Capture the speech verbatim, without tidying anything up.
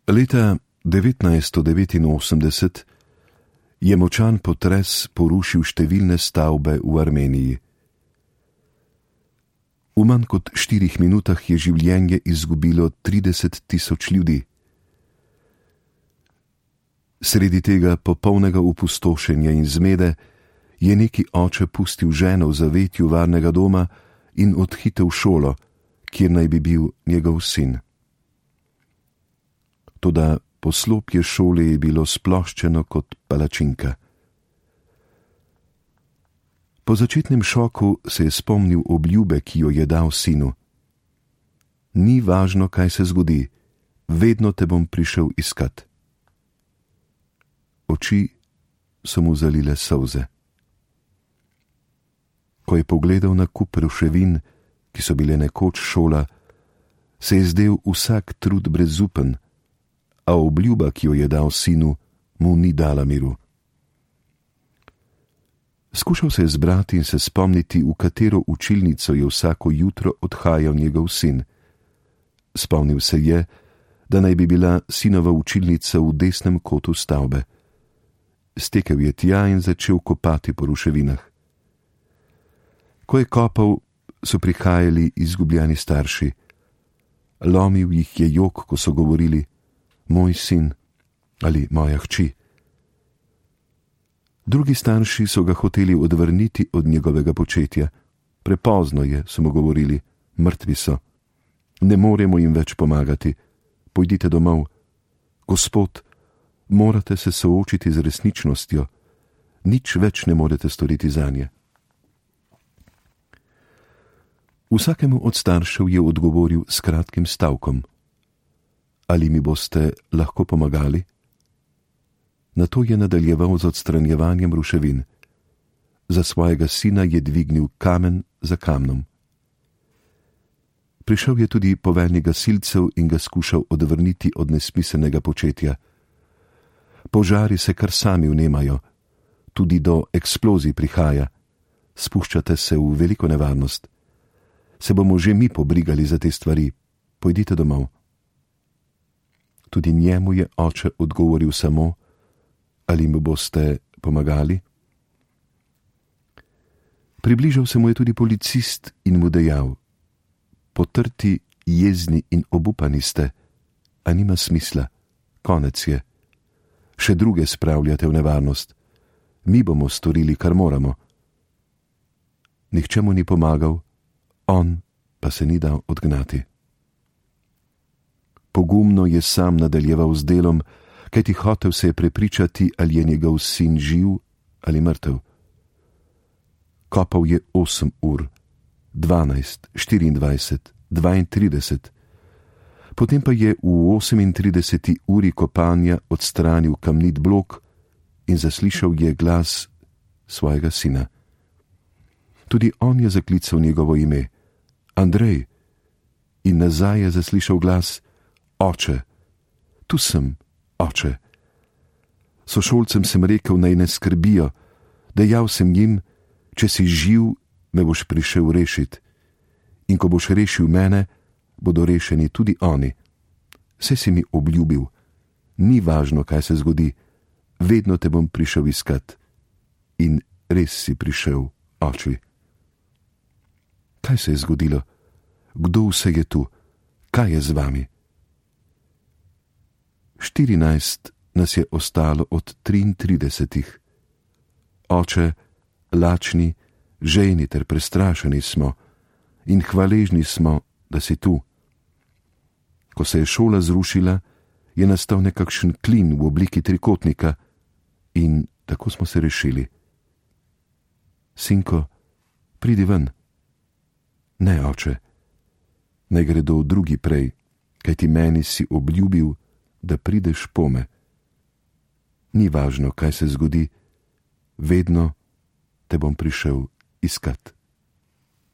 Leta devetnajststo devetinosemdeset je močan potres porušil številne stavbe v Armeniji. V manj kot štirih minutah je življenje izgubilo trideset tisoč ljudi. Sredi tega popolnega opustošenja in zmede je neki oče pustil ženo v zavetju varnega doma in odhitel v šolo, kjer naj bi bil njegov sin. Toda poslopje šole je bilo sploščeno kot palačinka. Po začetnem šoku se je spomnil obljube, ki jo je dal sinu. Ni važno, kaj se zgodi, vedno te bom prišel iskat. Oči so mu zalile solze. Ko je pogledal na kup ruševin, ki so bile nekoč šola, se je zdel vsak trud brezupen, a obljuba, ki jo je dal sinu, mu ni dala miru. Skušal se je zbrati in se spomniti, v katero učilnico je vsako jutro odhajal njegov sin. Spomnil se je, da naj bi bila sinova učilnica v desnem kotu stavbe. Stekel je tja in začel kopati po ruševinah. Ko je kopal, so prihajali izgubljeni starši. Lomil jih je jok, ko so govorili: moj sin ali moja hči. Drugi starši so ga hoteli odvrniti od njegovega početja. Prepozno je, so mu govorili, mrtvi so. Ne moremo jim več pomagati. Pojdite domov. Gospod, morate se soočiti z resničnostjo. Nič več ne morete storiti zanje. Vsakemu od staršev je odgovoril s kratkim stavkom: ali mi boste lahko pomagali? Nato je nadaljeval z odstranjevanjem ruševin. Za svojega sina je dvignil kamen za kamnom. Prišel je tudi poveljnik gasilcev in ga skušal odvrniti od nesmiselnega početja. Požari se kar sami vnemajo, tudi do eksplozij prihaja. Spuščate se v veliko nevarnost. Se bomo že mi pobrigali za te stvari. Pojdite domov. Tudi njemu je oče odgovoril samo: ali mi boste pomagali? Približal se mu je tudi policist in mu dejal: potrti, jezni in obupani ste, a nima smisla, konec je. Še druge spravljate v nevarnost. Mi bomo storili, kar moramo. Nihče mu ni pomagal, on pa se ni dal odgnati. Pogumno je sam nadaljeval z delom, kajti hotel se je prepričati, ali je njegov sin živ ali mrtev. Kopal je osem ur, dvanajst, štiriindvajset, dvaintrideset. Potem pa je v osemintrideseti uri kopanja odstranil kamnit blok in zaslišal je glas svojega sina. Tudi on je zaklical njegovo ime: Andrej. In nazaj je zaslišal glas: oče, tu sem, oče. Sošolcem sem rekel, naj ne skrbijo, dejal sem jim: če si živ, me boš prišel rešit. In ko boš rešil mene, bodo rešeni tudi oni. Saj si mi obljubil, ni važno, kaj se zgodi, vedno te bom prišel iskat. In res si prišel, oči. Kaj se je zgodilo? Kdo vse je tu? Kaj je z vami? Štirinajst nas je ostalo od triintridesetih. Oče, lačni, žejni ter prestrašeni smo in hvaležni smo, da si tu. Ko se je šola zrušila, je nastal nekakšen klin v obliki trikotnika in tako smo se rešili. Sinko, pridi ven. Ne, oče, naj gredo drugi prej, kajti meni si obljubil, da prideš pome. Ni važno, kaj se zgodi, vedno te bom prišel iskat.